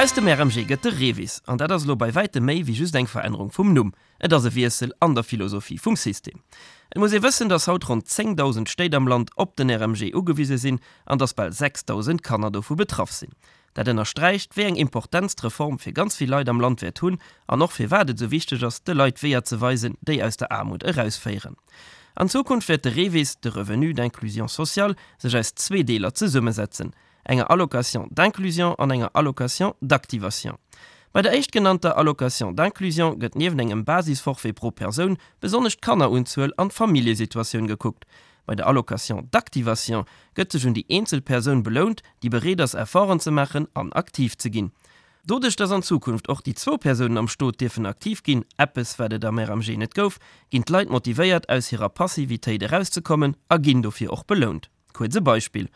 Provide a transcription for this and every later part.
Aus dem RMG gëtt de REVIS, an dat ass elo bei wäitem méi wéi just eng Verännerung vum Numm. Et ass e Wiessel an der Philosophie vum System. Et muss ee wëssen, dass haut ronn 10.000 Stéit am Land op den RMG ugewise sinn an dass bal 6.000 Kanner dovu betraff sinn. Dat ënnersträicht, wéi eng Importenz d'Reform fir ganz vill Leit am Land wäert hunn an och firwat et esou wichteg ass, de Leit Weeër ze weisen, déi aus der Aarmut erausféieren. An Zukunft wäert de REVIS, de Revenu d'inclusion sociale, sech aus zwee Deeler zesummesetzen, enger Allocation d'inclusion an enger Allocation d'activation. Bei der éischtgenannter Allocation d'inclusion gëtt nieft engem Basisforfait pro Persoun besonnesch d'Kannerunzuel an d'Familljesituatioun gekuckt. Bei der Allocation d'activation gëtt sech un déi eenzel Persoun belount, déi bereet ass Efforten ze maachen an aktiv ze ginn. Doduerch dass an Zukunft och déi zwou Persounen am Stot dierfen aktiv ginn, eppes wat et am RMG net gouf, ginn d'Leit motivéiert aus hirer Passivitéit erauszekommen a ginn dofir och belount. Kuerz e Beispill,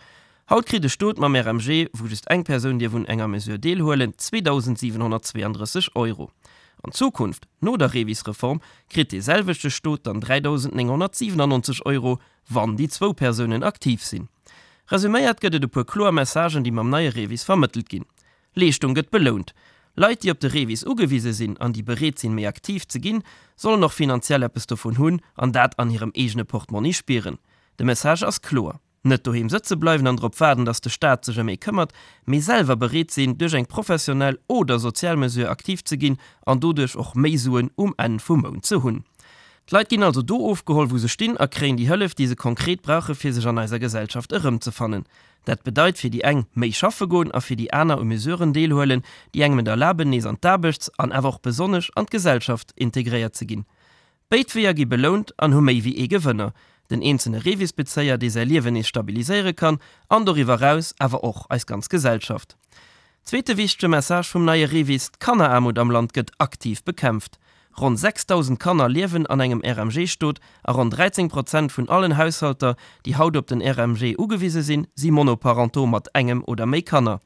Haut kritt e Stot mam RMG, wou just eng Persoun dierf un enger Mesure deelhuelen, 2.732 Euro. An Zukunft, no der REVIS-Reform, kritt dee selwechte Stot dann 3.997 Euro, wann déi zwou Persounen aktiv sinn. Resuméiert gëtt et e puer kloer Messagen, déi mam neie REVIS vermëttelt ginn, Leeschtung gëtt belount. Leit, déi op de REVIS ugewise sinn an déi bereet sinn, méi aktiv ze ginn, sollen och finanziell eppes dovun hunn an dat an hirem eegene Portmonni spieren. De Message ass kloer, Net doheem sëtze bleiwen an drop waarden, datt de Staat sech ëm ee këmmert, mee selwer bereet sinn, duerch eng professionell oder sozial Mesure aktiv ze ginn an doduerch och méi Suen um Enn vum Mount ze hunn. D'Leit ginn also do ofgeholl, wou se stinn a kréien déi Hëllef, déi se konkret brauche fir sech an eiser Gesellschaft erëmzefannen. Dat bedeit fir déi eng méi schaffe goen a fir déi aner u Mesuren deelhuelen, déi engem et erlaben, nees an d'Aarbechts an awer och besonnesch an d'Gesellschaft integréiert ze ginn. Béid Weeër gi belount an hu méi wéi ee Gewënner, den eenzelne REVIS-Bezéier, dee säi Liewen nees stabiliséiere kann, an doriwwer eraus awer och eis ganz Gesellschaft. Zweete wichtege Message vum neie REVIS, D'Kanneraarmut am Land gëtt aktiv bekämpft. Ronn 6.000 Kanner liewen an engem RMG-Stot a ronn 13 Prozent vun allen Haushalter, déi haut op den RMG ugewise sinn, si monoparentaux mat engem oder méi Kanner.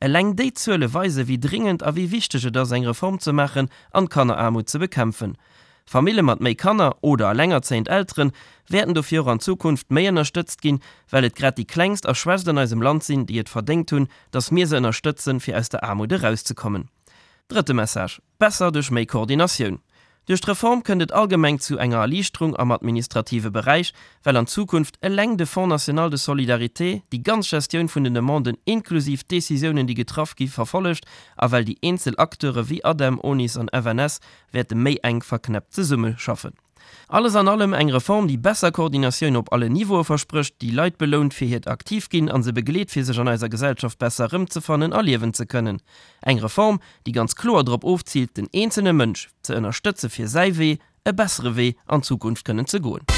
Eleng déi Zuele weise wéi dringend a wéi wichteg et ass, eng Reform ze maachen an d'Kanneraarmut ze bekämpfen. Famille mat méi Kanner oder elengerzéiend Eltere wäerten dofir och an Zukunft méi ënnerstëtzt ginn, well et grad déi Klengst a Schwächst an eisem Land sinn, déi et verdéngt hunn, dass mir se ënnerstëtzen, fir aus der Aarmut erauszekommen. Drëtte Message, Besser duerch méi Koordinatioun. Duerch d'Reform kënnt et allgemeng zu enger Erliichterung am administrative Beräich, well an Zukunft eleng de Fonds national de solidarité déi ganz Gestioun vun den Demanden inklusiv d'Décisiounen, déi getraff gi verfollegt a well déi eenzel Acteure wéi ADEM, ONIS an FNS wäerte méi enk verknäppt zesummeschaffen. Alles an allem eng Reform, déi besser Koordinatioun op allen Niveaue versprécht, déi Leit belount fir hiert Aktiv-Ginn a se begleet fir sech an eiser Gesellschaft besser erëmzefannen a liewen ze kënnen. Eng Reform, déi ganz kloer drop ofziilt, den eenzelne Mënsch ze ënnerstëtze fir säi Wee, e bessere Wee an d'Zukunft kënnen ze goen.